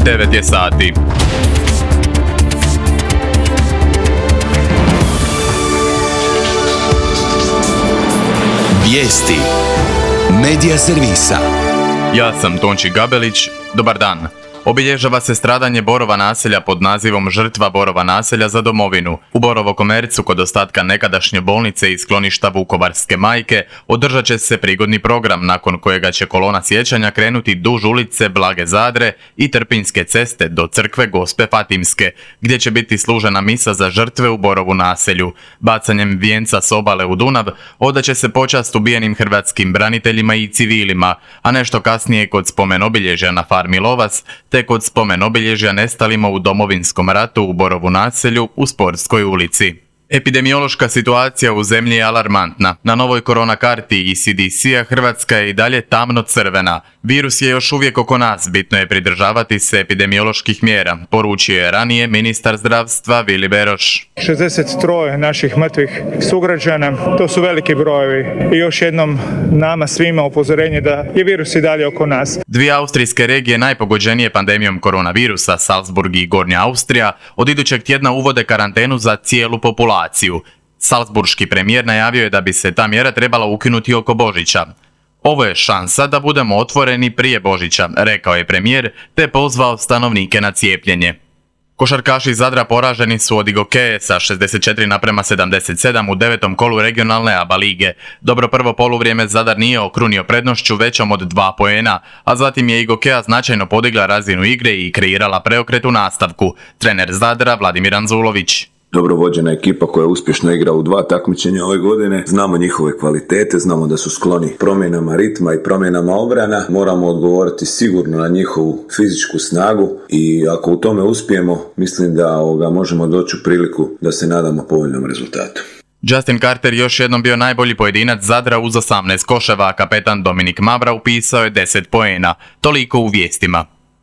9 je sati. Vijesti Medija servisa. Ja sam Tonči Gabelić, dobar dan. Obilježava se stradanje Borova naselja pod nazivom Žrtva Borova naselja za domovinu. U Borovo Komercu, kod ostatka nekadašnje bolnice i skloništa Vukovarske majke, održat će se prigodni program nakon kojega će kolona sjećanja krenuti duž ulice Blage Zadre i Trpinjske ceste do crkve Gospe Fatimske, gdje će biti služena misa za žrtve u Borovu naselju. Bacanjem vijenca s obale u Dunav odaće se počast ubijenim hrvatskim braniteljima i civilima, a nešto kasnije kod spomen obilježja na farmi Lovas, te kod spomen obilježja nestalima u Domovinskom ratu u Borovu naselju u Sportskoj ulici. Epidemiološka situacija u zemlji je alarmantna. Na novoj korona karti ECDC-a Hrvatska je i dalje tamno crvena. Virus je još uvijek oko nas, bitno je pridržavati se epidemioloških mjera, poručio je ranije ministar zdravstva Vili Beroš. 63 naših mrtvih sugrađana, to su veliki brojevi i još jednom nama svima upozorenje da je virus i dalje oko nas. Dvije austrijske regije najpogođenije pandemijom koronavirusa, Salzburg i Gornja Austrija, od idućeg tjedna uvode karantenu za cijelu populaciju. Salzburški premijer najavio je da bi se ta mjera trebala ukinuti oko Božića. Ovo je šansa da budemo otvoreni prije Božića, rekao je premijer, te pozvao stanovnike na cijepljenje. Košarkaši Zadra poraženi su od Igokeje sa 64:77 u 9. kolu regionalne ABA lige. Dobro prvo poluvrijeme Zadar nije okrunio prednošću većom od 2 poena, a zatim je Igokeja značajno podigla razinu igre i kreirala preokret u nastavku. Trener Zadra Vladimir Anzulović. Dobro vođena ekipa koja uspješno igra u 2 takmičenja ove godine. Znamo njihove kvalitete, znamo da su skloni promjenama ritma i promjenama obrana. Moramo odgovoriti sigurno na njihovu fizičku snagu i ako u tome uspijemo, mislim da možemo doći u priliku da se nadamo povoljnom rezultatu. Justin Carter još jednom bio najbolji pojedinac Zadra uz 18 koševa, a kapetan Dominik Mavra upisao je 10 poena. Toliko u vijestima.